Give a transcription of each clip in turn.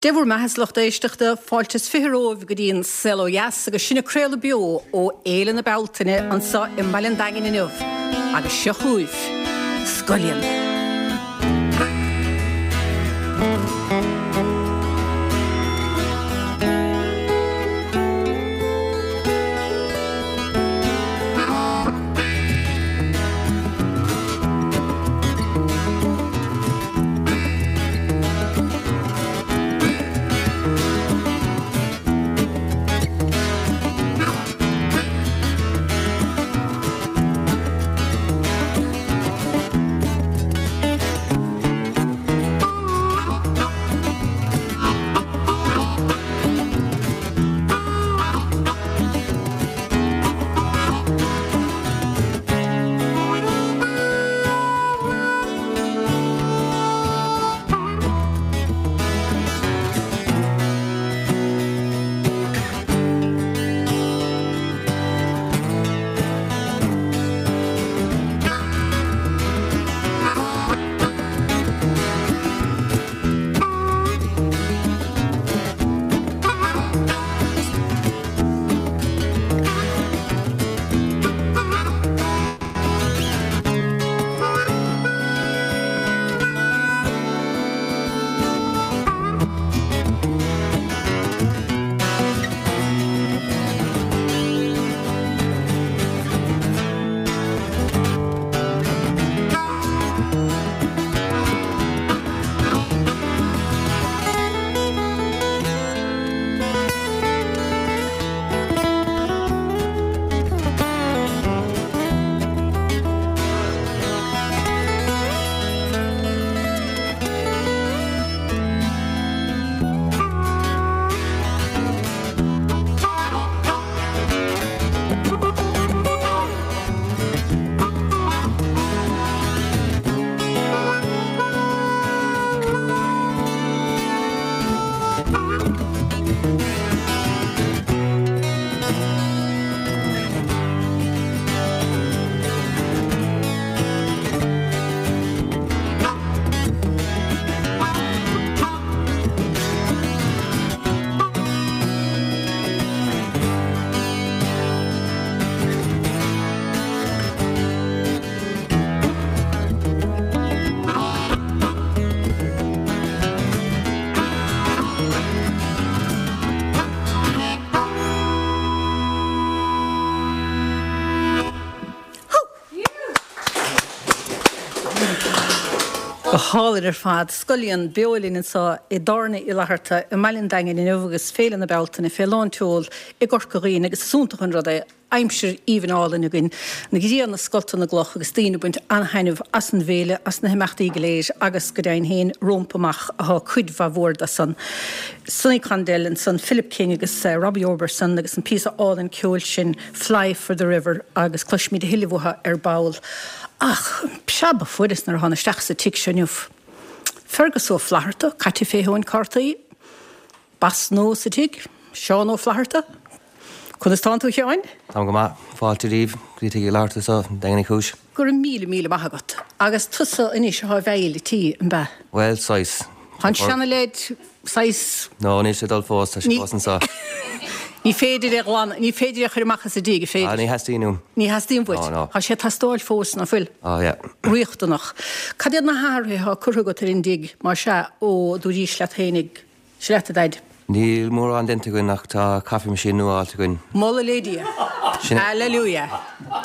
Dé bhur mbeatha a lucht éisteachta, fáilte is 20 romhaibh go dtí an Saol Ó Dheas agus sinn ag craoladh beo ó Fhéile na Bealtaine anseo i mBaile an Daingin inniu agus seo chugaibh Scullion. Go hálainn ar fad. Scullion beo linn anseo i dTábhairne Uí Fhlatharta i mBaile an Daingin inniu agus Féile na Bealtaine fé lán tseol i gCorca Dhuibhne agus is iontach an rud é aimsir aoibhinn álainn againn, an ghrian ag scoltadh na gcloch agus daoine ag baint an-thaitneamh as an bhféile, as na himeachtaí go léir agus go deimhin féin rompu amach athá cuid mhaith mhór de san. Sonny Condell ansan, Philip King agus Robbie Robertson agus an píosa álainn ceoil sin Fly for the River agus cloisfimid a thuilleadh uathu ar ball. Ach preab a fuaireas nuair a thána isteach sa tigh seo inniu. Fergus Ó Flatharta caite fé thóin cártaí. Boss nua sa tigh, Seán Ó Flatharta. Conas tánn tú a Sheáin? Táim go maith. Fáilte daoibh go dtí Tigh Uí Fhlatharta anseo i nDaingean Uí Chúis. Go raibh míle míle maith agat. Agus tusa anois athá i bhfeighil an tí, an b'ea? Bhuel, saghas. Tá an seana-leaid saghas. No, níl sé ag dul fós, tá sé fós anseo. Ní féidir é a ghlanadh, ní féidir é a chur amach as an dtigh, an féidir? Ah, ní theastaíonn uaim. Ní theastaíonn uait? No, no. Tá sé ag teastáil fós, ná fuil? Ah, yeah. Riachtanach. Cad iad na hathruithe atá curtha agat ar an dtigh, más ea, ó dúraís leat fhéinig? Seo leat a Dhaid. Níl mórán déanta againn ach tá coffee machine nua fháilte againn. Moladh le Dia. Sin é. Alleluia.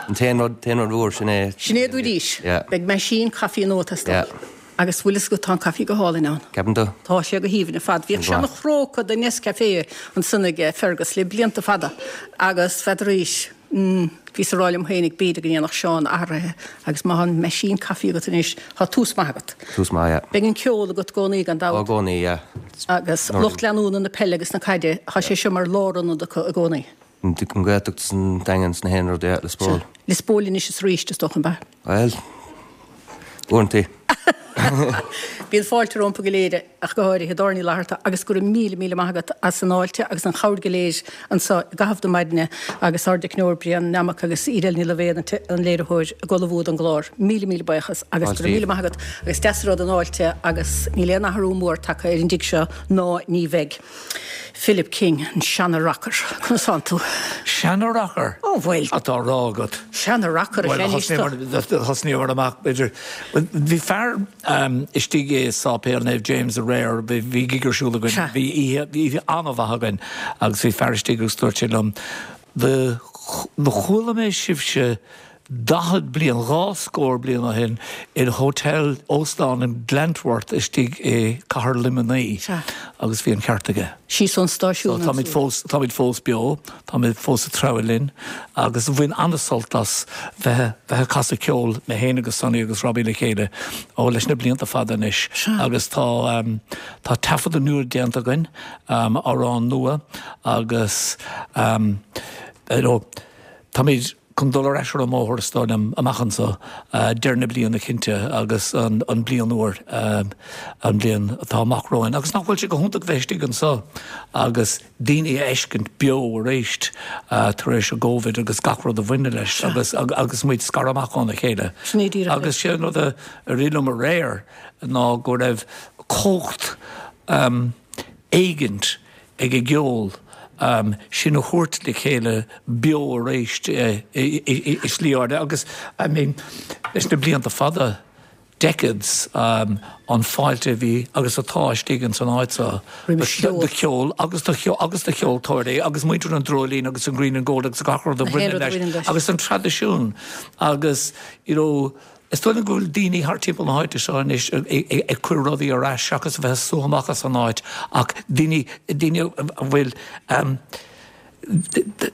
An t-aon rud, t-aon rud mhór, sin é. Sin é dúraís. Yeah. Beidh meaisín caife nua ag teastáil. Yeah. Agus bhfuil fhios agat tá an caife go hálainn ann. Ceapann tú? Tá sé go haoibhinn ar fad. Bhíodh seana-chróca de Nescafé ansan ag Fergus le blianta fada agus n'fheadaraís. Mm, bhíos a rá liom féinig b'fhéidir go ndéanfadh Seán athruithe agus má tá an meaisín caife agat anois, tá tús maith agat. Tús maith, yeah. Beidh an ceol agat i gcónaí gan dabht. Ó, i gcónaí, yeah. Agus lucht leanúna na peile agus na caide, tá sé seo mar lárionad acu i gcónaí. An Ghaeltacht is an Daingean is na haon rud, yeah, Lios Póil. Lios Póil anois is arís, is dócha, an b'ea? Bhuel, uaireanta. Bíonn fáilte rompu go léir, ach go háirithe i dTábhairne Uí Fhlatharta, agus go raibh míle, míle maith agat as an fháilte agus an chabhair go léir anseo i gcaitheamh na maidine agus ár dteicneoir Brian Nammock agus Edel Ní Loibhéad an léiritheoir ag ullmhú don gclár. Míle, míle buíochas agus go raibh míle maith agat agus deas an rud an fháilte agus níl aon athrú mór tagtha ar an dtigh seo ná ní bheidh. Philip King, an seana-rocker. Conas tánn tú? Seana-rocker? Ó, bhuel. Atá á rá agat. Seana-rocker is ea anois tú. Thosnaíomar amach, b'fhéidir. Bhí fear istigh i Sáipéal Naomh James aréir, bhí gig ar siúl againn, bhí oíche an-mhaith againn agus bhí fear istigh agus dúirt sé liom, Do chuala mé sibhse 40 bliain, 2 scór bliain ó shin in hotel, óstán in Glentworth istigh i cathair Luimnigh agus bhí an ceart aige. Síos ón stáisiún ansin. Táimid fós, táimid fós beo, táimid fós ag treabhadh linn agus bhain an-sult as bheith, bheith ag casadh ceoil, mé féin agus Sonny agus Robbie le chéile, ó leis na blianta fada anois agus tá, tá taifeadadh nua déanta againn, amhrán nua agus you know, táimid chun dul ar ais ar an mbóthar is dóigh liom amach anseo, deireadh na bliana cinnte agus an bliain úr, an bhliain atá amach romhainn. Agus nach bhfuil sé go hiontach bheith istigh anseo agus daoine a fheiscint beo arís tar éis an gCovid agus gach rud a bhaineann leis agus agus muid scartha amach óna chéile. Sin é díreach é. Agus sé an rud a rith liom aréir ná go raibh cumhacht éigint ag an gceol sinn a thabhairt le chéile beo arís i slí áirithe agus I mean leis na blianta fada, decades, an fáilte a bhí agus atá istigh ins an áit seo do cheol agus do agus do cheoltóirí agus muintir an Dreoilín agus an Green and Gold agus gach rud a bhaineann leis agus an traidisiún agus you know Is dóigh liom go bhfuil daoine thart timpeall na háite seo anois ag cur rudaí ar ais seachas a bheith ag sú amach as an áit ach daoine, daoine a bhfuil,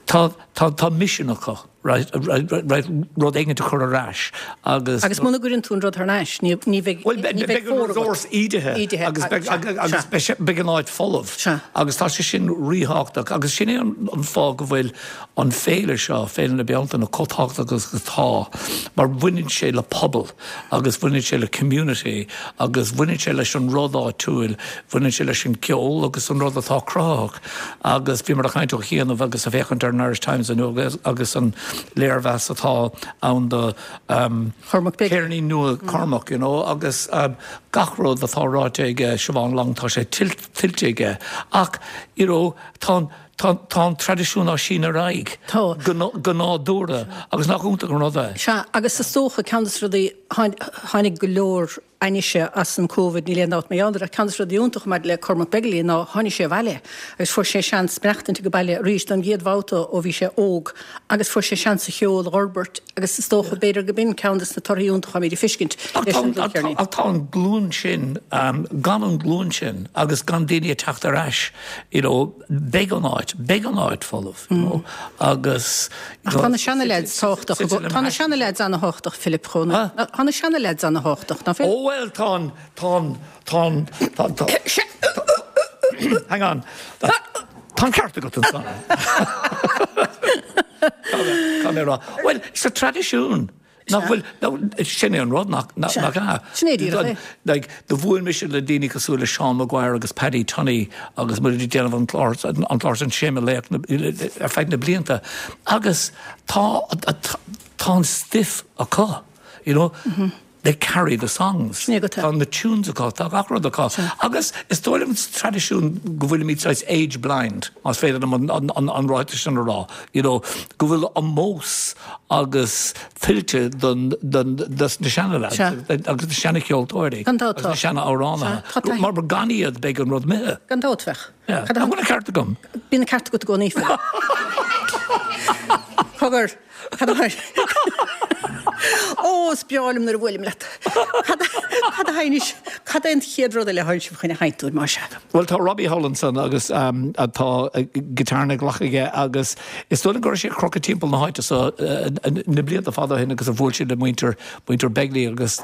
tá, tá, tá misean acu, right, right, rud éigin a chur ar ais agus. Agus muna gcuireann tú an rud thar n-ais, ní, ní bheidh, ní bheidh fóir agat. Bhuel, beidh an resource ídithe agus beidh, agus beidh sé, beidh an áit folamh. Sea. Agus tá sé sin ríthábhachtach agus sin é an fáth go bhfuil an féile seo, Féile na Bealtaine, chomh tábhachtach agus atá, mar bhaineann sé le pobal agus bhaineann sé le community agus bhaineann sé leis an rud áitiúil, bhaineann sé leis an gceol agus an rud atá cruthaitheach. Agus bhíomar ag caint ó chianaibh agus ag féachaint ar an Irish Times inniu agus an léirmheas atá ann do Cormac Begley. Ceirnín nua Cormac, you know, agus gach rud atá ráite aige Siobhán Long, tá sé tuillte aige. Ach, you know, tá an. Tá an traidisiún á síneadh ar aghaidh go nádúrtha agus nach iontach an rud é? Sea, agus is dócha, ceann de na rudaí, tháinig go leor ainnise as an Covid, níl aon dabht mar gheall air, ach ceann de na rudaí iontacha maidir le Cormac Begley ná tháinig sé abhaile agus fuair sé seans maireachtaint ag baile arís don gcéad bhabhta ó bhí sé óg agus fuair sé seans a cheol a fhorbairt agus is dócha, b'fhéidir go b'in ceann de na torthaí iontacha atáimid ag feiscint leis an dlúthcheirnín. Ach tá an glúin sin, gan an glúin sin agus gan daoine ag teacht ar ais, you know, Beidh an áit, beidh an áit folamh, you know, agus. Ach tá na seana-leaids tábhachtach, tá na seana-leaids ana-thábhachtach, Philip, chomh, tá na seana-leaids ana-thábhachtach, ná fuil? Ó bhuel, tá an, tá an, tá an, tá, tá, hang on, tá an ceart agat ansan. Tá mé a rá, bhuel, sa traidisiún, Nach bhfuil, sin é an rud, nach ea? Sin é díreach é. Like, do bhuail mise le daoine cosúil le Seán Maguire agus Paddy Tunney agus muid ag déanamh an clár, an clár sin Sé Mo Laoch ar feadh na blianta agus tá, tá an stuif acu, you know. They carry the songs. Tá na tunes acu, tá gach rud acu. Agus is dóigh liom sa traidisiún go bhfuilimid saghas age blind, más féidir liom an ráiteas sin a rá, you know, go bhfuil ómós agus tuillte don, don, dos na seana-lads agus na seana-cheoltóirí agus na seana-amhránaithe. Mar gan iad beidh an rud imithe. Gan dabht bheadh. An bhfuil an ceart agam? Bíonn an ceart agat i gcónaí, Phil. Cogar, cad a Ó, is breá liom nuair a bhuailim leat. Cad a sheinnis, cad é an chéad rud eile a tháinig sibh chun a sheinnt dúinn, más ea? Bhuel, tá Robbie thall ansan agus tá guitar ina ghlac aige agus is dóigh liom go raibh sé ag crochadh timpeall na háite so na blianta fada ó shin agus a bhuail sé le muintir, muintir Begley agus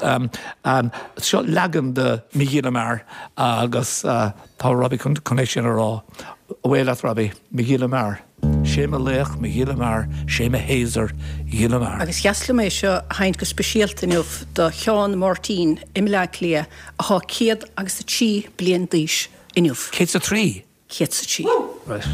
seo leagan de Mo Ghile Mear agus tá Robbie chun é sin a rá. Away leat Robbie, Mo Ghile Mear. Sé mo laoch, mo ghile mear, sé mo Shéasar, ghile mear. Agus dheas liom é seo a sheinnt go speisialta inniu do Sheán Máirtín i mBleá Cliath athá 103 bliain d'aois inniu. 103? 103. Right.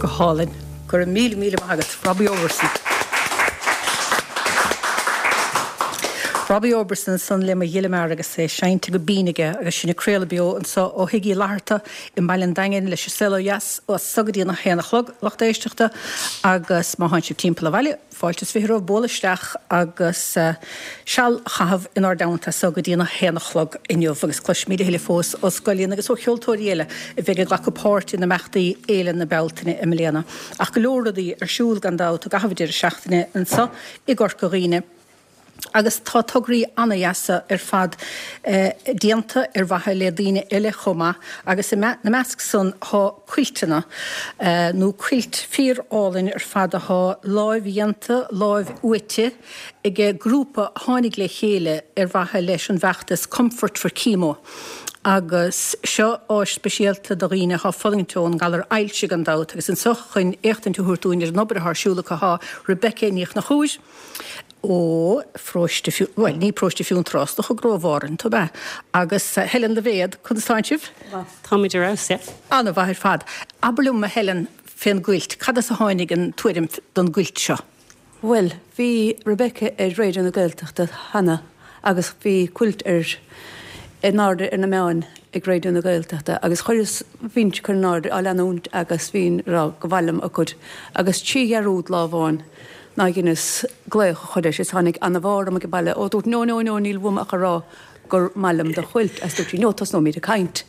Go hálainn. Go raibh míle míle maith agat, Robbie Oberson. Robbie Oberson ansan le Mo Ghile Mear agus é seinnte go binn aige agus sinn ag craoladh beo anso ó Thigh Uí Fhlatharta i mBaile an Daingin leis an Saol Ó Dheas as so go dtí an 1 a chlog, lucht éisteachta, agus má thánn sibh timpeall an bhaile, Fáilte is 20 romhaibh bualadh isteach agus seal a chaitheamh inár dteannta as so go dtí an 1 a chlog inniu agus cloisfimid a thuilleadh fós ó Scoil-Ian agus ó cheoltóirí eile a bheidh ag glacadh páirt in imeachtaí Fhéile na Bealtaine i mbliana. Ach go leor rudaí ar siúl gan dabht i gcaitheamh an deireadh seachtaine anso i gCorca Dhuibhne. Agus tá tograí ana-dheasa ar fad déanta ar mhaithe le daoine eile chomh maith, agus ina measc san tá cuilteanna, nó cuilt fíor-álainn ar fad athá láimh-dhéanta, láimh-fhuaite ag grúpa a tháinig le chéile ar mhaithe leis an bhfeachtas Comfort for Chemo. Agus seo áis speisialta do dhaoine atá ag fulaingt ón ngalar ailse gan dabht agus anseo chun éachtaint a thabhairt dúinn ar an obair atá ar siúl acu tá Rebecca Ní Chonchúir ó Pharóiste, bhuel ní Paróiste Fionntrá, is dócha gur ó Bhárthain tú, ab ea? Agus Helen Loibhéad, conas tánn sibh? Táimid ar fheabhas, yeah. An-mhaith ar fad. Abair liom, a Helen, fén gcuilt, cad as a tháinig an tuairim don gcuilt seo? Bhuel, bhí Rebecca ar Raidió na Gaeltachta cheana agus bhí cuilt ar in airde ar na meáin ag Raidió na Gaeltachta agus chuireas, bhínn ag cur in airde á leanúint agus bhínn ag rá go mhaith liom a cuid agus trí dhearúd lá amháin ná dheineas glaoch a chur uirthi is tháinig ana-bharr orm ag an baile ó dúirt no no no níl uaim ach a rá gur maith liom do chuilt agus dúirt sí no tosnóimid ag caint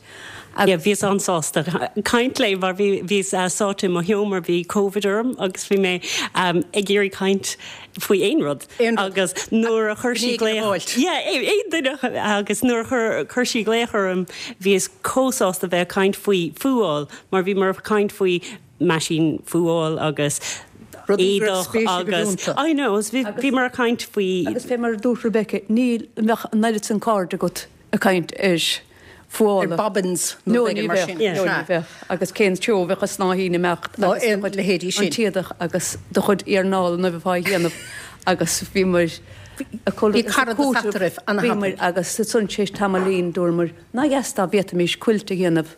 agus. Yeah bhíos an-sásta caint léi mar bhí bhíos sáite i mo sheomra bhí Covid orm agus bhí mé ag iarraidh caint faoi aon rud agus nuair a chuir sí glaoch yeah aon duine agus nuair a chuir chuir sí glaoch orm bhíos chomh sásta bheith ag caint faoi fuáil mar bhíomar ag caint faoi meaisín fuáil agus éadach agus I know bhíomar ag caint faoi. Agus fé mar a dúirt Rebecca, ní bheadh an oiread san cairde agat ag caint ar fuála. Ar bobbins nó rud éigin mar sin. No ní bheadh. Agus cén treo a bheadh an snáithín ag imeacht agus do chuid leithéidí sin. An t-éadach agus do chuid iarnála nuair a bheifeá á dhéanamh agus bhíomar ag Bhí caradas eatarthu ana-thapaidh. Agus ansan tar éis tamaillín dúramar, nár dheas dá bhféadfaimis cuilt a dhéanamh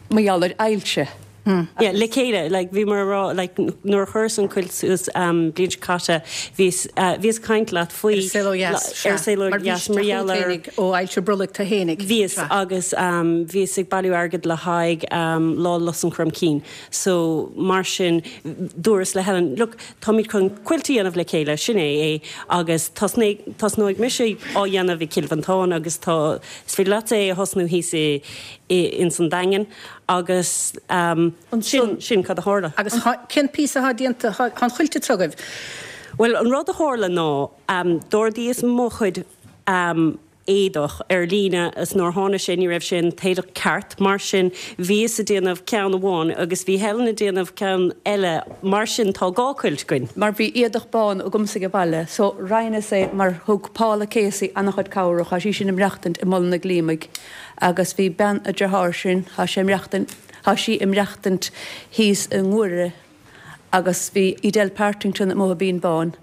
mar gheall ar ailse. Yeah, le chéile, like, bhíomar ag rá, like, nuair a chuireas an quilt suas an bhliain seo caite, bhíos, bhíos ag caint leat faoi. Ar Saol Ó Dheas, sea. Ar Saol Ó Dheas, mar gheall ar. Mar bhís tú féinig ó ailse brollaigh tú fhéinig. Bhíos, agus bhíos ag bailiú airgid le haghaidh Lá Lus an Chroimcinn. So, mar sin, dúras le Helen, look, táimid chun quilt a dhéanamh le chéile, sin é é, agus tosnóidh mise á dhéanamh i gCill Mhantáin agus tá, Is féidir leatsa é a thosnú thíos i ins an Daingean agus sin sin cad a tharla. Agus cén píosa atá déanta, tá an chuilt anseo agaibh? Bhuel an rud a tharla ná d'ordaíos mo chuid éadach ar líne is nuair a tháinig sé ní raibh sé an t-éadach ceart mar sin bhíos ag déanamh ceann amháin agus bhí Helen ag déanamh ceann eile Mar sin, tá dhá chuilt againn. Mar bhí éadach bán agamsa age baile, so roinneas é mar thug Paula Casey an-chuid cabhrach, thá sí sin ag maireachtaint i Mullach an Ghlíomaigh agus bhí bean a dearthár sin, thá sé ag maireachtaint, thá sí ag maireachtaint thíos i nGuaire agus bhí Edel Partington amuigh i Binn Bán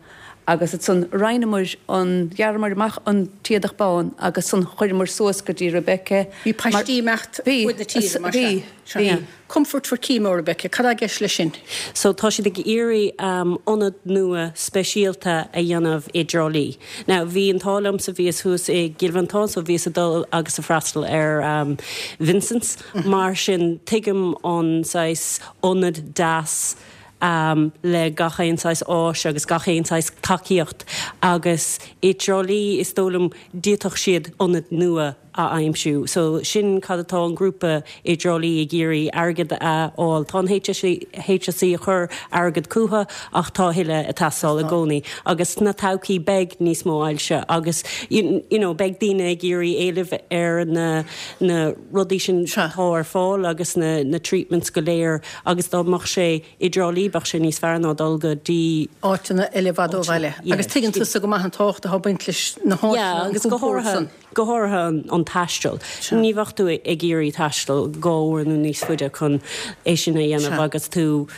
agus ansan roinneamar an, ghearramar amach an t-éadach bán agus ansan chuireamar suas go dtí Rebecca Bhí paistí ag imeacht fuaid na tíre, mar sea. Bhí, bhí. Comfort for Chemo, Rebecca, cad tá i gceist leis sin? So tá siad ag iarraidh ionad nua speisialta a dhéanamh i dTrá Lí. Now bhí an t-ádh liomsa, bhíos thuas i gCill Mhantáin so bhíos ag dul agus ag freastal ar Vincent's mar sin tuigim an saghas ionad deas le gach aon saghas áis agus gach aon saghas tacaíocht agus i dTrá Lí is dóigh liom d'fhéadfadh siad ionad nua a aimsiú. So sin cad atá an grúpa i dTrá Lí ag iarraidh, airgead a fháil. Tá an HSE ag cur airgead chucu ach tá a thuilleadh ag teastáil i gcónaí. Agus sna todhchaí beidh níos mó ailse agus you know beidh daoine ag iarraidh éileamh ar na na rudaí sin atá ar fáil agus na na treatments go léir agus dá mbeadh sé i dTrá Lí bheadh sé níos fearr ná dul go dtí. áiteanna eile i bhfad ó bhaile. Agus tuigeann tusa go maith an tábhacht atá ag baint leis na háiteanna, an compord san. Go háirithe an taisteal. Ní bheadh tú ag iarraidh taisteal 2 uair nó níos faide chun é sin a dhéanamh agus tú,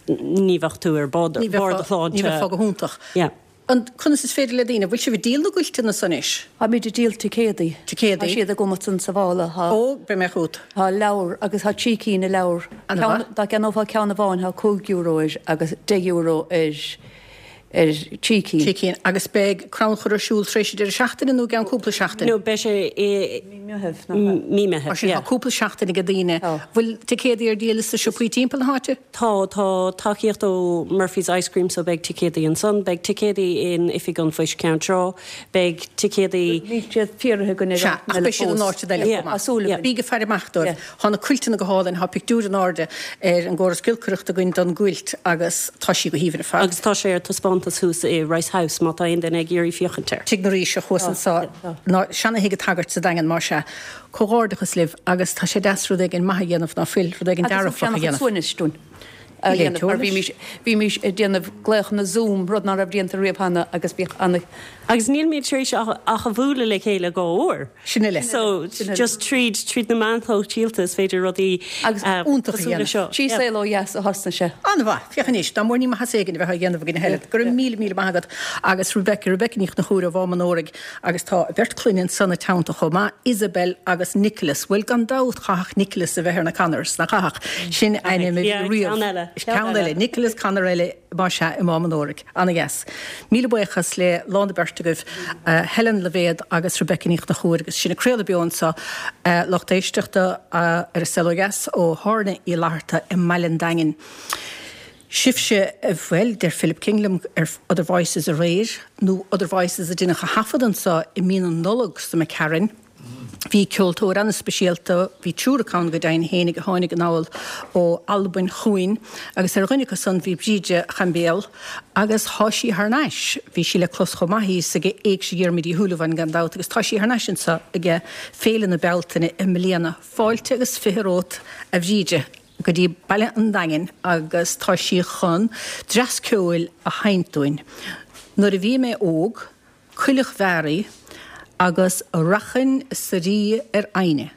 ní bheadh tú ar barr do shláinte. Ní bheifeá go hiontach. An, conas is féidir le daoine, bhfuil sibh ag díol na gcuilteanna san anois? Táimid ag díol ticéadaí. Ticéadaí. Tá siad agam ansan sa mhála. Tá. Ó, beidh mé chugat. Tá leabhar agus tá trí cinn de leabhar. An-mhaith. Dá gceannófá ceann amháin tá €5 air agus €10 ar ar trí cinn. Trí cinn. Agus beidh crannchur ar siúl tar éis an deireadh seachtaine nó i gceann cúpla seachtain? No, beidh sé i. Mí Mheithimh, nach ea? Mí Mheithimh, Mar sin tá cúpla seachtain ag daoine. Tá. Bhfuil ticéadaí ar díol sna siopaí timpeall na háite? Tá, tá tacaíocht ó Murphy's Ice Cream so beidh ticéadaí ansan, beidh ticéadaí in Oifig an Phoist Ceann Trá, beidh ticéadaí. Níl siad fíoraithe againn ar Sea, ach beidh siad in áiteanna eile chomh maith. Tá súil againn. Bígí ag faire amach dóibh. Tá na cuilteanna go hálainn, tá pictiúr in airde ar an gcóras giolcaireachta againn don gcuilt agus tá sí go haoibhinn ar fad. Agus tá sé ar taispeántas thuas i Rice House má tá aon duine ag iarraidh féachaint air. Tigh na Ríseach thuas anso, ná seana-thigh an tsagairt sa Daingean, más ea. Comhghairdeachas libh agus tá sé deas rud éigin maith a dhéanamh ná fuil, rud éigin dearfach a dhéanamh. Agus suaimhneas dúinn. a dhéanamh mar bhímís, bhímís ag déanamh glaochanna Zoom, rud ná raibh déanta riamh cheana agus bhíodh ana. Agus nílimid tar éis ach a bhualadh le chéile dhá uair. Sin uile. So just tríd, tríd na meáin shóisialta is féidir rudaí Agus iontach a cosúil le dhéanamh. seo. Sí Saol Ó Dheas a thosnaigh sé. An-mhaith. Féach anois, dá mór ní maitheas éigin a bheith á dhéanamh againn a Helen. Go raibh míle míle maith agat. Agus Rebecca, Rebecca Ní Chonchúir ó Mhám an Óraigh agus tá a beirt clainne ansan ina teannta chomh maith, Isabel agus Nicholas. Bhuel gan dabht chaithfeadh Nicholas a bheith ar na Connors, nach chaithfeadh? Sin ainm a bhí riamh. Ceann eile. Ceann eile. Nicholas Connor eile más ea i Mám an Óraigh. Ana-dheas. Míle buíochas le lán na beirt agaibh, Helen Loibhéad agus Rebecca Ní Chonchúir agus sinn ag craoladh beo anseo, lucht éisteachta ar An Saol Ó Dheas ó Thábhairne Uí Fhlatharta i mBaile an Daingin. Sibhse, bhuel, deir Philip King liom ar Other Voices aréir, nó Other Voices a deineadh a thaifead anseo i mí na Nollag sa McCarran. Bhí ceoltóir an-speisialta, bhí triúr acu ann go deimhin fhéinig a tháinig anall ó Albain chugainn agus ar dhuine acu san bhí Bríde Chaimbéal agus thá sí thar n-ais, bhí sí le clos chomh maith thíos ag Éigse Dhiarmuid Uí Shúilleabháin gan dabht agus tá sí thar n-ais anseo ag Féile na Bealtaine i mbliana. Fáilte agus 20 romhat a Bhríde go dtí Baile an Daingin agus tá sí chun dreas ceoil a sheinnt dúinn. Nuair a bhí mé óg, Coileach Mheáraí agus Rachainn sa Rí ar Adhna.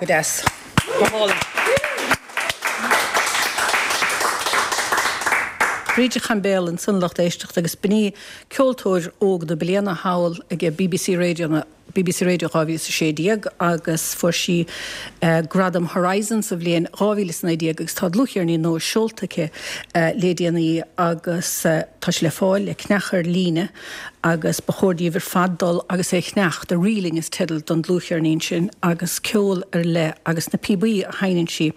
An-deas. Go hálainn. Bríde Chaimbéal ansan a lucht éisteachta agus b'in í ceoltóir óg na bliana thall ag BBC Radio na BBC Radio 2016 agus fuair sí Gradam Horizon sa bhliain 2019 agus tá dlúthcheirnín nua seolta aici le déanaí agus tá sé le fáil le ceannach ar líne agus ba chóir daoibh ar fad dul agus é a cheannach, The Reeling is teideal don dlúthcheirnín sin agus ceol ar leith agus na píobaí a sheinneann sí.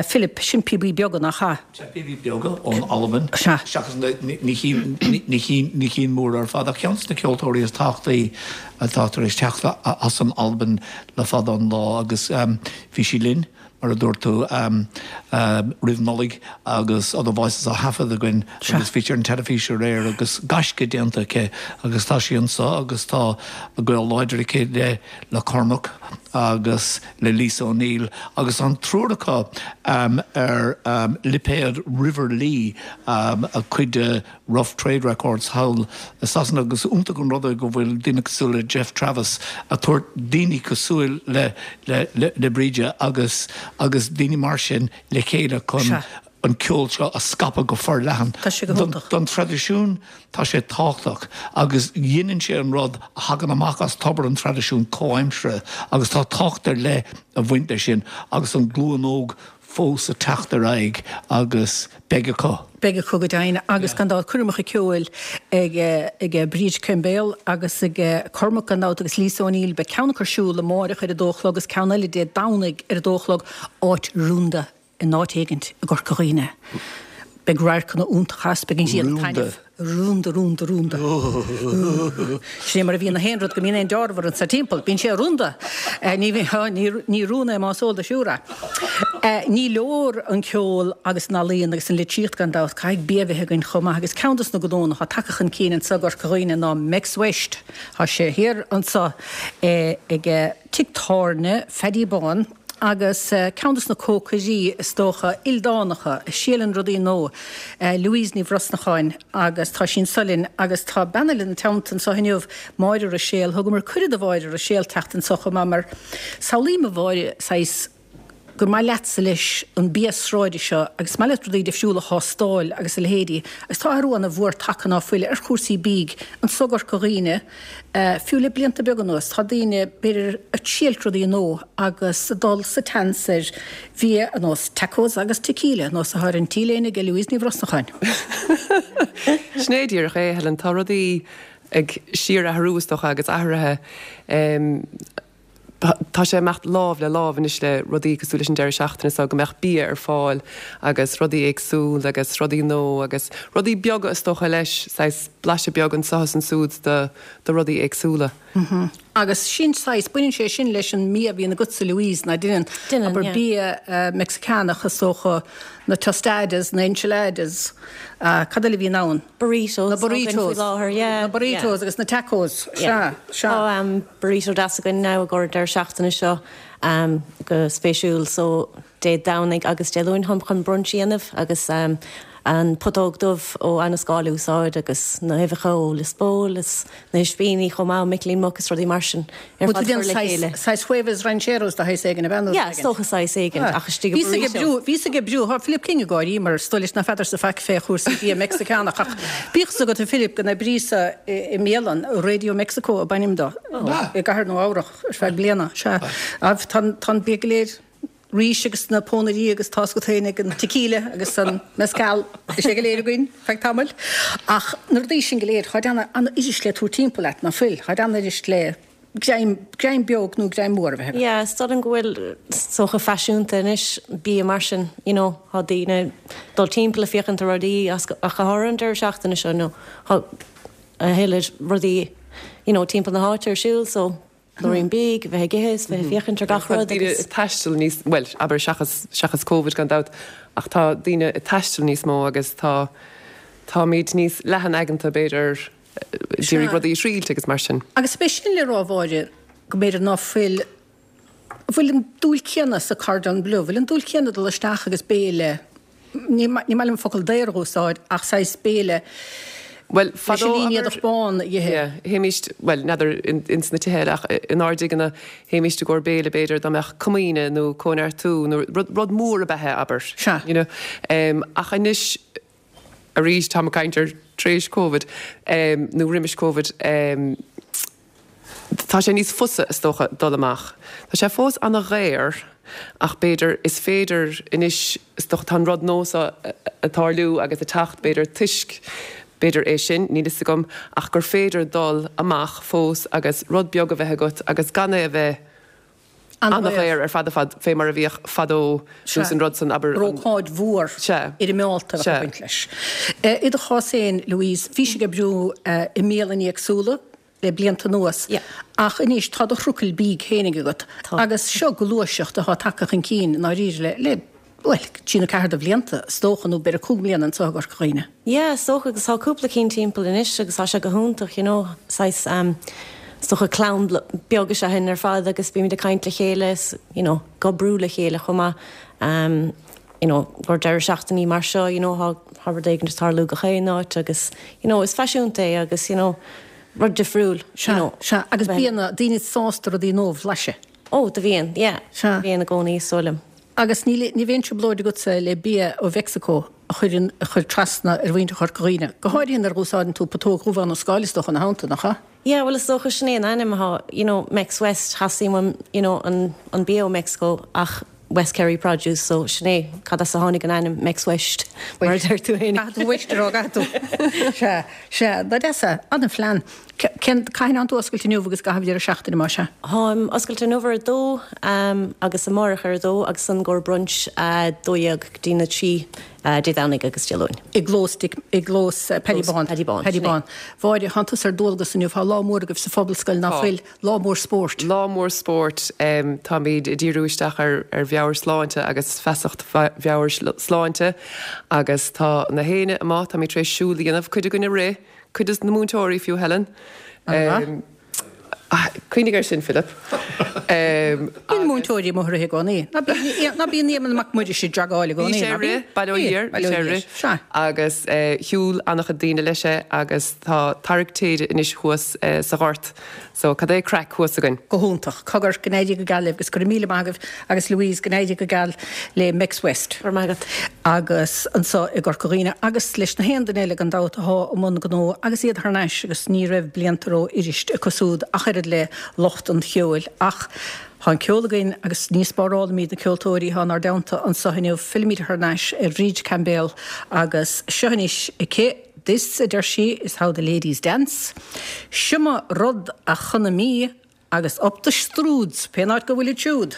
Philip, sin píobaí beaga, nach ea? Sea, píobaí beaga ón Albain, seachas na cinn mhóra ar fad, ach ceann de na ceoltóirí is tábhachtaí atá tar éis teacht as an Albain le fada an lá agus bhí sí linn mar a dúirt tú, roimh Nollaig agus Other Voices á thaifead againn agus bhí sí ar an teilifís aréir agus gaisce déanta aici agus tá sí anseo agus tá gaol láidir aici le le Cormac agus le Lisa O'Neill agus an triúr acu ar lipéad River Lea, cuid de Rough Trade Records thall i Sasana agus iontach an rud é go bhfuil daoine cosúil le Geoff Travis ag tabhairt daoine cosúil le le Bríde agus agus daoine mar sin le chéile chun an ceol seo a scaipeadh go forleathan. Tá sé go hiontach. Don traidisiún tá sé tábhachtach agus dhéanann sé an rud a thagann amach as tobar an traidisiúin comhaimseartha agus tá tábhacht ar leith ag baint leis sin agus an glúin óg fós ag teacht ar aghaidh agus beidh acu. Beidh acu go deimhin agus gan dabht coirmeacha ceoil ag ag Bríd Coimbéal agus ag Cormac gan dabht agus Lisa O'Neill. Beidh ceann acu ar siúl amáireach ar a dó a chlog agus ceann eile Dé Domhnaigh ar a dó a chlog, áit rúnda in áit éigint i gCorca Dhuibhne. Beidh radharcanna iontacha as, beidh an ghrian ag taitneamh. Rúnda, rúnda, rúnda. Sin é mar a bhíonn na haon rud go mbíonn aon deárbhar ansa timpeall. Bíonn sé rúnda. Ní, ní rún é más eol duit úr é. Ní leor an ceol agus an ealaíon agus an litríocht gan dabht, caithfidh bia a bheith againn chomh maith agus ceann dos na gnónna atá tagtha chun cinn anso i gCorca Dhuibhne ná Mex West. Tá sé thiar anso ag Tigh Tábhairne Pheaidí Bán. Agus ceann dos na cócairí, is dócha, ildánacha, a thriaileann rudaí nua, Louise Ní Bhrosnacháin, agus tá sí anso linn, agus tá bean eile ina teannta anso inniu, Máire Ruiséal. Thugamar cuireadh do Mháire Ruiséal teacht anso chomh maith, mar samhlaím, a Mháire, saghas, gur maith leatsa leis an bia sráide seo, agus is maith leat rudaí difriúla a thástáil agus a leithéidí, agus tá athrú ana mhór tagtha ná fuil ar chúrsaí bídh anso i gCorca Dhuibhne, Fiú le blianta beaga anuas, tá daoine, b'fhéidir, ag triailt rudaí nua agus ag dul sa tseans ar bhia ar nós tacos agus tequila, nós atá ar an t-léine ag Louise Ní Bhrosnacháin. Sin é díreach é, Helen. Tá rudaí ag síorathrú, is dócha, agus athraithe. Tá sé ag imeacht lámh le lámh anois le rudaí cosúil leis an deireadh seachtaine seo, go mbeadh bia ar fáil agus rudaí éagsúil agus rudaí nua agus rudaí beaga is dócha leis, saghas blaiseadh beag anseo is ansúd de de rudaí éagsúla. Agus sin saghas, baineann sé sin leis an mbia a bhíonn agatsa Louise, ná deineann? Deineann, Abair yeah. bia Mexiceánach is dócha, na tostadas, na enchiladas, cad eile a bhíonn ann? Burritos Na burritos. againn faoi láthair, yeah, Na burritos agus na tacos, sea, sea. Tá burrito deas againn now i gcomhair an deireadh seachtaine seo go spéisiúil so Dé Domhnaigh agus Dé Luain táim chun brunch a dhéanamh agus an putóg dubh ó Annascáil a úsáid agus na huibheacha ó Lios Póil is na hispíní chomh maith ó Micilín Muc is rudaí mar sin ar Bhfuil fad tú déanamh chur le saghas, chéile. saghas huevos rancheros de shaghas éigin, ab ea nó Yeah, is dócha saghas éigin ach istigh i Bhíos ag burrito. oibriú, bhíos ag oibriú, tá Philip King ag gáirí mar is dóigh leis ná feadarsa faic fé chúrsaí bia Meicsiceánach ach bíodh fhios agat a Philip go n-oibríos-sa i mbialann, Radio Mexico ab ainm do, i gCathair Nua Eabhrach ar feadh bliana, sea. Tá an bia go léir, rís agus na pónairí agus tá's agat féin ag an tequila agus an mezcal, bhí sé go léir againn feadh tamaill. Ach na rudaí sin go léir, táid an-fhuirist le tabhairt timpeall leat, ná fuil? Táid an-fhuirist le greim, greim beag nó greim mór a bheith agat. Yeah, is dóigh liom go bhfuil is dócha faiseanta anois bia mar sin, you know, tá daoine ag dul timpeall ag féachaint ar rudaí ach go háirithe an deireadh seachtaine seo, you know, tá a thuilleadh rudaí, you know, timpeall na háite ar siúl so Labhraíonn bídh, bheith ag ithe is bheith ag féachaint ar gach Tá rud daoine agus. ag taisteal níos, bhuel, abair seachas, seachas Covid gan dabht, ach tá daoine ag taisteal níos mó agus tá, táimid níos leathan-aigeanta b'fhéidir, ag iarraidh rudaí a thriailt agus mar sin. Agus b'é sin le rá, a Mháire, go mb'fhéidir ná fuil, bhfuil an dúil céanna sa Cordon Bleu, bhfuil an dúil céanna dul isteach agus béile, ní maith liom an focal daor a úsáid, ach saghas béile. Bhuel, Leis fadó, an abair, línéadach bán a ithe. yeah, théimíst, bhuel, n'fheadar ins na tithe eile ach inár dtigeanna, théimíst i gcomhair béile b'fhéidir dá mbeadh comaoine nó cóineartú nó rud, rud mór ab ea é, abair. Sea. You know. Ach anois, arís, táim ag caint ar tar éis Covid, nó roimis Covid, Tá sé níos fusa, is dócha, dul amach. Tá sé fós ana-dhaor ach b'fhéidir, is féidir anois, is dócha, tá an rud nua seo ag tarlú agus ag teacht, b'fhéidir toisc, b'fhéidir é sin, níl fhios agam, ach gur féidir dul amach fós agus rud beag a bheith agat agus gan é a bheith ana-dhaor ar fad ar fad fé mar a bhíodh fadó nó an rud san, abair, an. Ócáid mhór fhoirmeálta a bheadh ag baint leis. I do chás féin, Louise, bhís ag oibriú i mbialanna éagsúla le blianta anuas ach anois tá do thrucail bídh féinig agat agus seo gluaiseacht atá tagtha chun cinn i ndáiríre le, bhuel, trí nó ceathair de bhlianta, is dócha, nó b'fhéidir 5 mbliana anseo i gCorca Dhuibhne. Yeah, is dócha, agus tá cúpla cinn timpeall anois agus tá sé go hiontach, you know, saghas, ehm, is dócha clann beag is ea sinn ar fad agus bímid ag caint le chéile is, you know, ag oibriú le chéile chomh maith, ehm, you know, gur deireadh seachtainí mar seo, you know, tá, tá rud éigin ag tarlú gach aon áit agus, you know, is faisiúnta é agus, you know, rud difriúil, you know. Sea, agus bíonn daoine sásta rudaí nua a bhlaiseadh. Oh, do bhíonn, yeah. Sea. Bhíonn i gcónaí, is dóigh liom. Agus ní ní bheadh aon trioblóid agatsa le bia ó Mheicsiceo a chur in a chur trasna ar mhuintir Chorca Dhuibhne, go háirithe nuair a úsáideann tú putóg dhubh Abhainn an Scáil is dócha ina theannta, nach ea? Yeah, bhuel is dócha sin é an ainm atá, you know, Mex West, theastaigh uaim, you know, an an bia ó Meicsiceo ach West Kerry produce, so sin é cad as a tháinig an ainm Mex West, mar a deir tú féin. Caithfidh tú West a rá, caithfidh tú. Sea, sea, dá deas é, an-phlean. Cén, cathain atánn tú oscailte inniu agus i gcaitheamh deireadh seachtaine, más ea? Táim oscailte inniu ar a dó agus amárach ar a dó agus ansan i gcomhair brunch 12 go dtí na 3 Dé Domhnaigh agus Dé Luain. I gclós Dick, i gclós Paddy Bán. Paddy Bán, Paddy sin é. Bán. Mháire, thánn tusa ar dualgas inniu, tá lá mór agaibh sa Phobalscoil, ná Tá. fuil? Lá mór spóirt. Lá mór spóirt. Táimid ag díriú isteach ar ar mheabhairshláinte agus feasacht mheabhairshláinte agus tá na héinne amuigh, táimid tar éis siúl a dhéanamh, cuid againn ag rith, Cuid des na múinteoirí fiú, Helen. An-mhaith. Cuimhnigh air sin, Philip. Bíonn múinteoirí amuigh ag rith i gcónaí. Ná bíonn, ná bíonn Éamonn Mac Muiris ag jogáil i Bhí gcónaí, sé ná ag bíonn? rith, bail ó Bíonn, Dhia air, bail bhí ó sé ag Dhia air. rith. Sea. Agus shiúil an-chuid daoine leis é agus tá tarrac téide anois thuas sa ghort. So, cad é craic thuas againn? Go hiontach. Cogar, go n-éirí go geal libh agus go raibh míle maith agaibh agus Louise, go n-éirí go geal le Mex West. Go raibh maith agat. Agus anseo i gCorca Dhuibhne agus leis na haon duine eile gan dabht athá i mbun gnó agus iad thar n-ais agus ní raibh blianta ró-fhuirist acu súd ach oiread le lucht an cheoil ach tá an ceol againn agus ní spárálaimid na ceoltóirí athá inár dteannta anseo inniu. Fillimid thar n-ais ar Bhríd Caimbéal agus seo anois aici This, a deir sí, is how the ladies dance. Siomdha rud a chonadh mí agus up the Strúds, pén áit go bhfuilid siúd.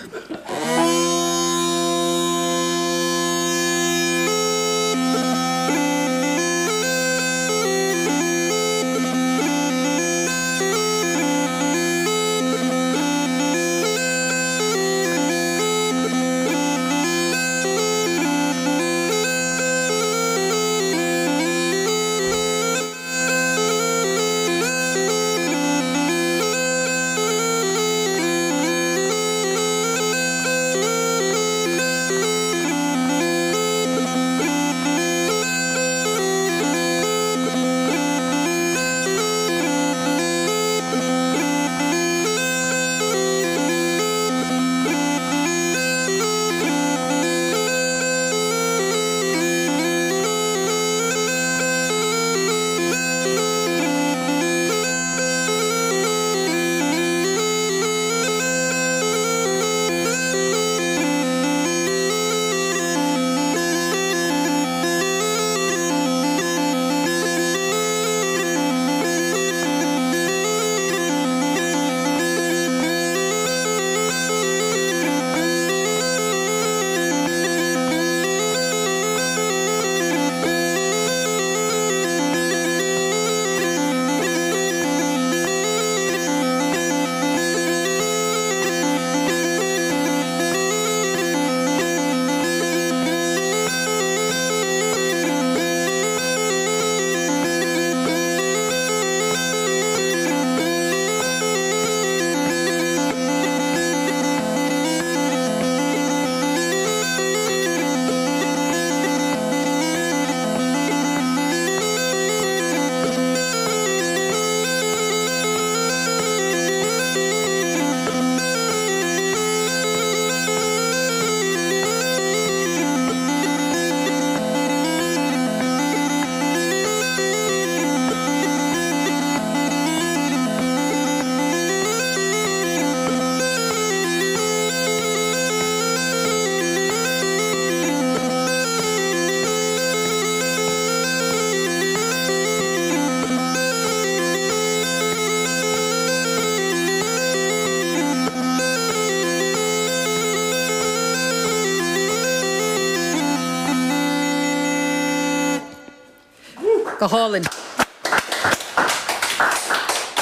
Go hálainn.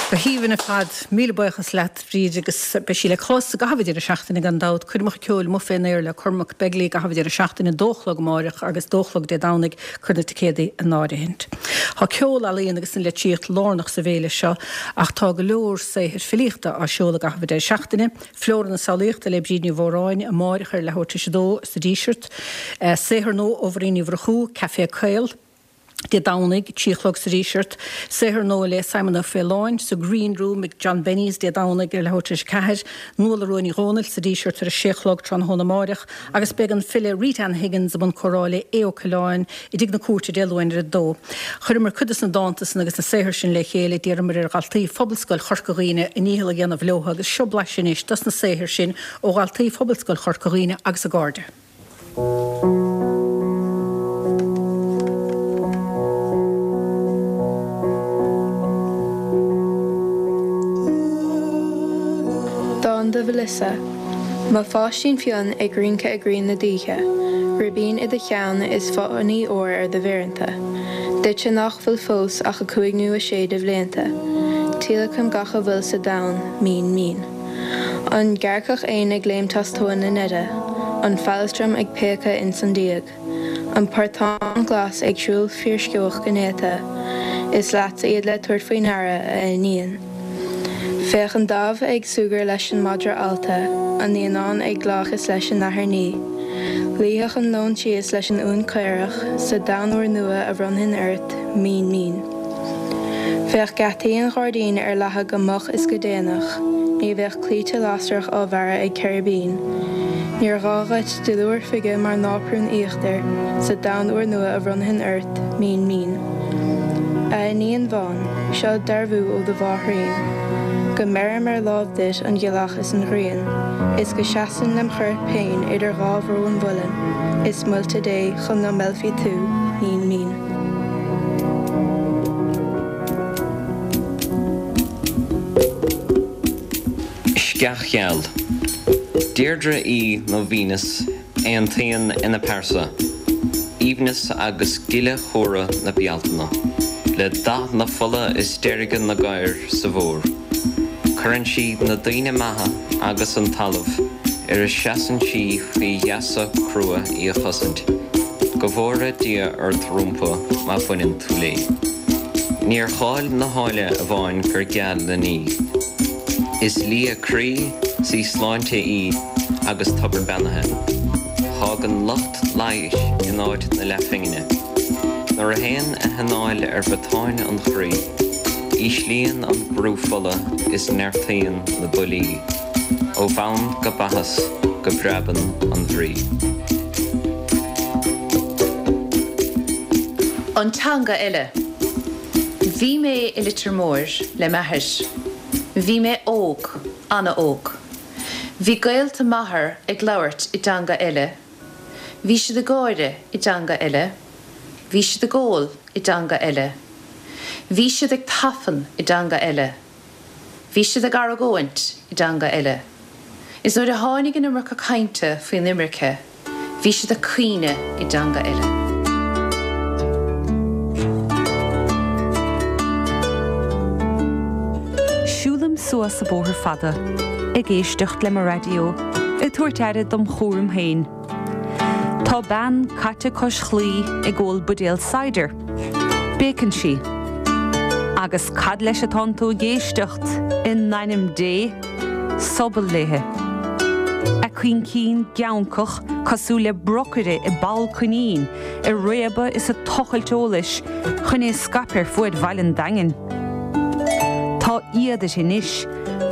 Go haoibhinn ar fad. Míle buíochas leat, Bríd, agus beidh sí le clos i gcaitheamh an deireadh seachtaine gan dabht. Coirmeacha ceoil amuigh fén aer le Cormac Begley i gcaitheamh an deireadh seachtaine, dó a chlog amáireach agus dó a chlog Dé Domhnaigh. Cuir na ticéadaí in áirithint. Tá ceol, ealaíon agus an litríocht lárnach sa bhféile seo ach tá go leor saothair filíochta á seoladh i gcaitheamh an deireadh seachtaine. Flóra na Samhlaíochta le Bríd Ní Mhóráin amáireach ar leathuair tar éis a dó sa Díseart. Saothar nua ó Mhuirín Ní Mhurchú, Café Caol. Dé Domhnaigh, 3 a chlog sa Díseart. Saothar nua le Simon Ó Faoláin sa Green Room ag John Benny's Dé Domhnaigh ar leathuair tar éis a 4. Nuala Rua Ní Dhomhnaill sa Díseart ar a 6 a chlog tráthnóna amáireach agus beidh an file Rita Ann Higgins i mbun comhrá le Aodh Ó Coileáin i dTigh na Cúirte Dé Luain ar a 2. Chuireamar cuid des na dánta san agus na saothair sin le chéile, d'iarramar ar dhaltaí Phobalscoil Chorca Dhuibhne a ndícheall a dhéanamh leo agus seo blaiseadh anois dos na saothair sin ó dhaltaí Phobalscoil Chorca Dhuibhne agus a gcairde. Dán do Mhelissa. Mo pháistín fionn ag rince i gcroí na d'oíche, Ribín i do cheann is fáinní óir ar do mhéireanta. Duitse nach bhfuil fós ach 5 nó 6 de bhlianta, Tíolacaim gach a bhfuil sa domhan, mín mín. An gearrcach éin ag léimt as tóin na neide, an feileastram ag péacadh ins an díog, an portán glas ag siúl fíorsceoch go néata, is leatsa iad le tabhairt faoi ndeara, a iníon. Féach an damh ag súgradh leis an madra allta, an naíonán ag glaoch is leis an nathair ní. Luífeadh an leon síos leis an uan caorach, sa domhan úrnua a bhronnfainn ort, mín mín. Bheadh geataí an ghairdín ar leathadh go moch is go déanach, ní bheadh claíte lasrach á bhfearadh ag ceiribín. Níor ghá dhuit duilliúr fige mar náprún íochtair sa domhan úrnua a bhronnfainn ort, mín mín. A iníon bhán, seo dearbhú ó do mháithrín, go mbeirim ar láimh duit an ghealach is an ghrian, is go seasfainn lem chorp féin idir dhá bhró an mhuilinn is muilte Dé chun ná meillfí tú, mín mín. Sceach Gheal. Deirdre í nó Venus aontaíonn ina pearsa, aoibhneas agus gile chumhra na Bealtaine, le dath na fola is deirge na gcaor sa bhfómhar. Cuireann sí na daoine maithe agus an talamh ar a seasann sí faoi gheasa crua í a chosaint. Go bhfóire Dia ort rompu má bhaineann tú léi. Níor cháil na háille amháin gur geal linn í. Is lia croí 's í sláinte í agus tobar beannaithe. Fágann lucht leighis in áit na leathphingine. Nuair a théann a hanáil ar bhotáin an chroí, íslíonn an brú fola is neartaíonn na buillí. Ó bhonn go baithis go bpreabann an bhrí. An teanga eile. Bhí mé i Leitir Móir le m'athair. Bhí mé óg, an-óg. Bhí gaolta m'athar ag labhairt i dteanga eile. Bhí siad ag gáire i dteanga eile. Bhí siad ag ól i dteanga eile. Bhí siad ag tafann i dteanga eile. Bhí siad ag argóint i dteanga eile. Is nuair a tháinig an iomarca cainte faoin imirce, bhí siad ag caoineadh i dteanga eile. Siúlaim suas an bóthar fada, ag éisteacht le mo raidió, ag tabhairt aire dom chúram féin. Tá bean caite cois chlaí ag ól buidéal cider. Béiceann sí. Agus cad leis atánn tú ag éisteacht, in ainm Dé? Sobal léithe. A coincín geancach cosúil le brocaire i bpoll coinín, ag réabadh is ag tochailt eolais chun é a scaipeadh ar fuaid bhaile an Daingin. Tá éad uirthi anois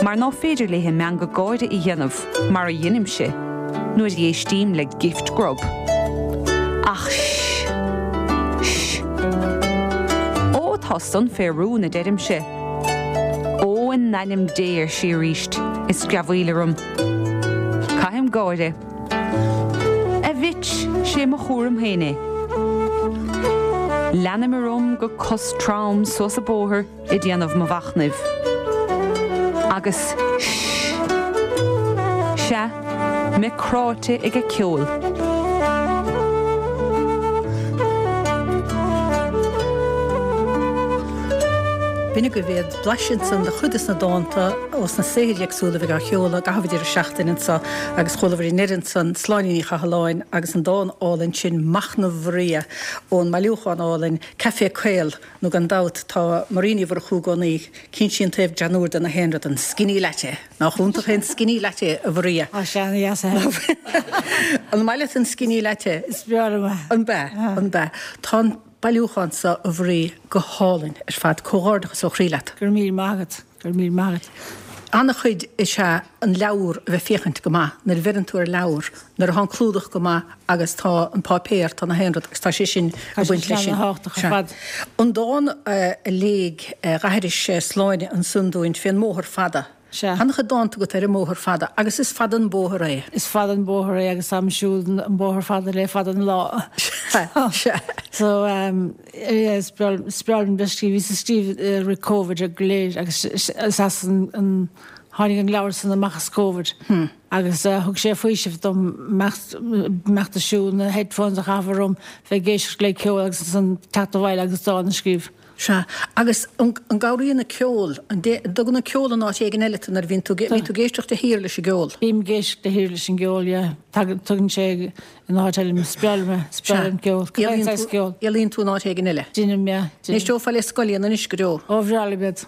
mar ná féidir léithe meangadh gáire a dhéanamh. mar a dheinimse nuair a éistím le Gift Grub. Ach sh! Sh! Ó, tá san fé rún, a deirimse. Ó, in ainm Dé, ar sí arís, is screamhaíl orm. Caithim gáire. A bhitch, 'sé mo chúram féin é. Leanaim orm go cos trom suas an bóthar. ag déanamh mo mhachnaimh. Agus sh! Sea, mé cráite ag a ceol. B'in agaibh iad, blaiseadh ansan de chuid des na dánta ós na saothair éagsúla a bheidh á sheoladh i gcaitheamh an deireadh seachtaine anso agus chualabhair i ndeireadh ansan Sláine Ní Chathalláin agus an dán álainn sin Machnamh Mharia ón mbailiúchán álainn Caife Caol nó gan dabht tá Maria Ní Mhurchú i gcónaí Cíonn sí an taobh greannúr de na haon rud, an skinny latte! Nach iontach é an skinny latte, a Mharia? Tá sé ana-dheas a Helen. An maith leat an skinny latte? Is breá liom é. An b'ea? An b'ea? Tá an bailiúchán seo, a Mharia, go hálainn ar fad. Comhghairdeachas ó chroí leat. Go raibh míle maith agat. Go raibh míle maith agat. An-chuid is ea an leabhar a bheith féachaint go maith. Nuair a bheireann tú ar leabhar, nuair atá an clúdach go maith agus tá an páipéar, tá na haon rud agus tá sé sin ag baint leis sin. Tá sé sin. An dán a léigh d'aithris Sláine ansan dúinn fén mbóthar fada. Sea. Tá an-chuid dánta agat ar an mbóthar fada agus is fada an bóthar é. Is fada an bóthar é agus táim ag siúl an bóthar fada le fada an lá. Sea, sea. So, yeah, is breá liom bheith ag scríobh. Bhíos ag scríobh i rith Covid go léir agus is as an, tháinig an leabhar san amach as Covid. Agus thug sé faoiseamh dom imeacht ag siúl, na headphones a chaitheamh orm, bheith ag éisteacht le ceol agus ansan teacht abhaile agus dán a scríobh. Sea. Agus an gcabhraíonn an ceol, an dtugann an ceol in áit éigin eile tú nuair a bhíonn tú, bíonn tú ag éisteacht de shíor leis an gceol? Bím ag éisteacht de shíor leis an gceol, yeah. Tugann sé in áit eile mé, is breá liom é, is breá liom ceol, cibé saghas ceol. Éalaíonn tú in áit éigin eile? Déanaim, yeah. An éisteofá le Scullion anois go deo? Ó, bhreá liom iad.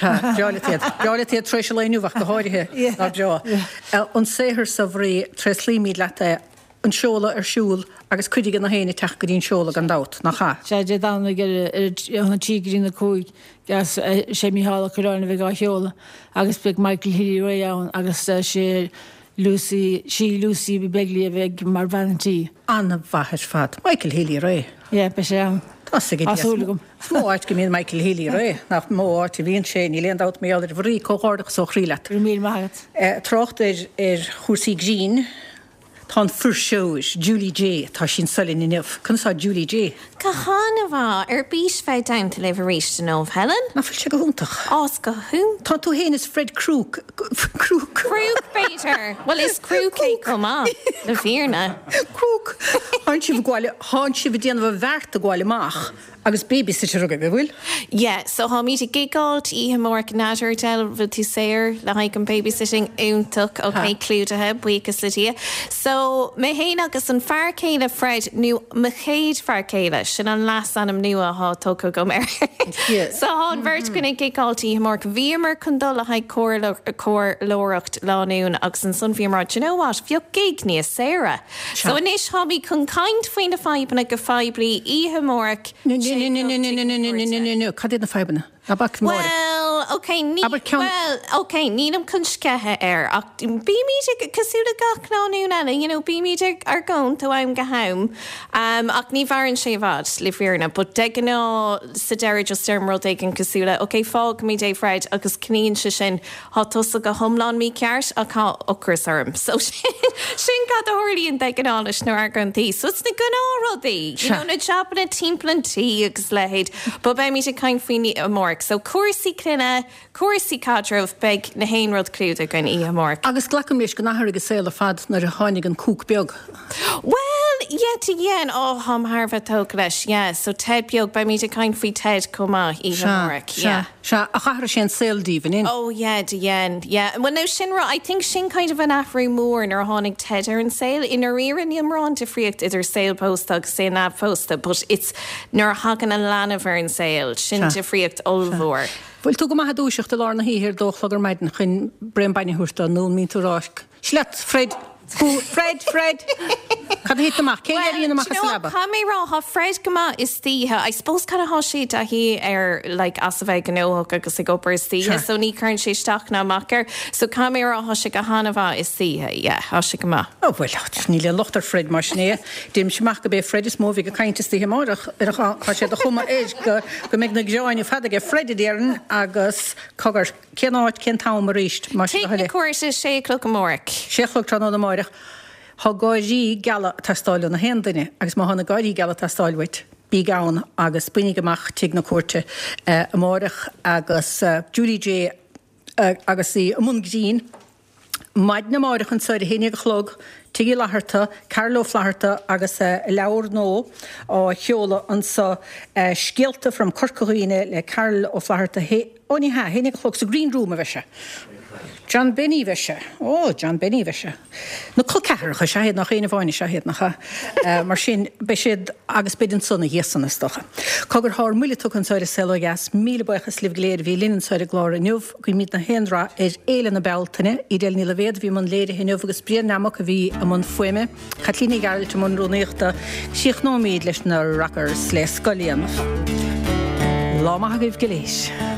Breá leat iad. Breá leat iad tar éis an lae inniu ach go háirithe. Ná breá. An saothar so a Mharia, tréaslaímid leat é. An seoladh ar siúl agus cuid de na héinne teacht go dtí an seoladh gan dabht, nach ea? Sea, Dé Domhnaigh ar a trí go dtí na 5 agus sé Mícheál Ó Cuirreáin a bheidh á sheoladh agus beidh Michael Healy-Rae ann agus sé Lucy, sí Lucy Begley a bheidh mar bhean an tí. An-mhaith ar fad. Michael Healy-Rae. Yeah, beidh sé ann. Tá 's ag Tá súil agam. Is mó áit go mbíonn Michael Healy-Rae, nach mó áit a bhíonn sé, níl aon dabht mar gheall air. Mharia, comhghairdeachas ó chroí leat. Go raibh míle maith agat. Trácht ar ar chúrsaí grinn, tá an fuirseoir, Julie Jay, tá sí anso linn inniu. Conas tá Julie Jay? Go han-mhaith. Ar bís bheith i dteannta libh arís inniu, Helen. Nach bhfuil sé go hiontach? Á, is go hiontach. Tá tú féin is Fred Krúc, Krúc. Krúc, b'fhéidir. Bhuel, is Krúc é chomh maith, le fírinne. Krúc. Tánn sibh ag gabháil, tánn sibh ag déanamh an bheart ag gabháil amach. Agus babysitter agaibh, an bhfuil? Yeah, so táimid ag gigeáilt oíche amárach, n'fheadar Edel, bhfuil tú saor le haghaidh an babysitting? Iontach, ok, clúdaithe, buíochas le Dia. So, mé fhéin agus an fear céile Fred, nó mo chéad fear céile, sin an leasainm nua athá tugtha agam air. So thá an bheirt againn ag gigeáilt oíche amárach. Bhíomar chun dul le haghaidh comhairleoireacht lánúin agus ansan bhíomar, do you know what, bheadh gig níos saoire. So anois táimid chun caint faoi na fadhbanna go poiblí oíche amárach. No, no, no, no, no, no, no, no, no, no, no, cad iad na fadhbanna? Ná bac Máire. Bhuel, ok, ní, Abair ceann. bhuel, ok, nílim chun sceitheadh air ach bímid ag, cosúil le gach lánúin eile, you know, bímid ag argóint ó am go ham um, ach ní mhaireann sé i bhfad, le fírinne, but de ghnáth sa deireadh just deirim rud éigin cosúil le, ok, fágfaimid é Fred agus coinníonn sé sin Thá tusa go hiomlán mícheart ach thá ocras orm. So sin cad a tharlaíonn de ghnáth leis na argóintí. So it's na gnáthrudaí, you know, na jabanna timpeall an tí agus a leithéid. But beimid ag caint faoi amárach. So cúrsaí clainne, cúrsaí caidrimh, beidh na haon rud clúdaithe againn oíche amárach. Agus glacaim leis go n-athraigh an saol ar fad nuair a tháinig an cúc beag. Bhuel, yeah, do dhein. Oh, tháim thar a bheith tógtha leis, yeah. So Ted beag, beimid ag caint faoi Ted chomh maith oíche Sea, amárach, sea. yeah. Sea, ach athraigh sé an saol daoibh, an in? Oh yeah, do dhein, yeah. Bhuel now sin rud, I think sin kind of an athrú mór nuair a tháinig Ted ar an saol. I ndáiríre níl mórán difríocht idir saol pósta agus saol neamhphósta but it's nuair a thagann an leanbh ar an saol, sin Sea, difríocht sea. ollmhór. Bhfuil tú go maith ag dúiseacht i lár na hoíche ar dó a chlog ar maidin chun braon bainne a thabhairt dó nó an mbíonn tú ag rá, Seo leat, Fred! Fred! Fred! Cad a thit amach? Cén Well, éiríonn amach do you as know an what, leaba? caithfidh mé a rá, thá Fred go maith istoíche. I suppose kind of thá sé i dtaithí ar like as a bheith gnóthach agus ag obair istoíche Sure. so ní chuireann sé isteach ná amach air. So caithfidh mé a rá, thá sé go han-mhaith istoíche, yeah, thá sé go maith. Oh bhuel, níl aon locht ar Fred mar sin é. Deirimse amach go b'é Fred is mó a bheidh ag caint istoíche amáireach ar an Tá sé de chuma air go go mbeidh na gearáin ar fad aige Fred a déarfainn agus cogar. Cén áit, cén t-am arís, más Tigh do thoil na é? Cúirte, sé a chlog amárach. Sé a chlog tráthnóna amáireach. Thá gáirí geala ag teastáil ó na haon duine agus má thá na gáirí geala ag teastáil uait, bíg ann agus bainigh amach Tigh na Cúirte amáireach agus Julie Jay agus í i mbun grinn. Maidin amáireach anso ar a haon dhéag a chlog. Tigh Uí Fhlatharta, Carol Ó Flatharta agus a leabhar nua á sheoladh anso, Scéalta from Corca Dhuibhne le Carol Ó Flatharta, ó ní hea, 11 a chlog sa Green Room a bheidh sé. John Benny bheidh sé. Ó, John Benny bheidh sé. Na col ceathracha is ea iad, nach aon amháin is ea iad, nach ea? Mar sin, beidh siad, agus beidh ansan ina dhiaidh san, is dócha. Cogar, tá ár mbuille tugtha anso ar An Saol Ó Dheas. Míle buíochas libh go léir a bhí linn anso ar an gclár inniu. Guímid na haon rath ar Fhéile na Bealtaine. Edel Ní Loibhéad a bhí i mbun léirithe inniu agus Brian Nammock a bhí i mbun fuaime. Caitlín Ní Ghearailt i mbun rúnaíochta. Críochnóimid leis na Rockers le Scoil Éanna. Lá maith agaibh go léir.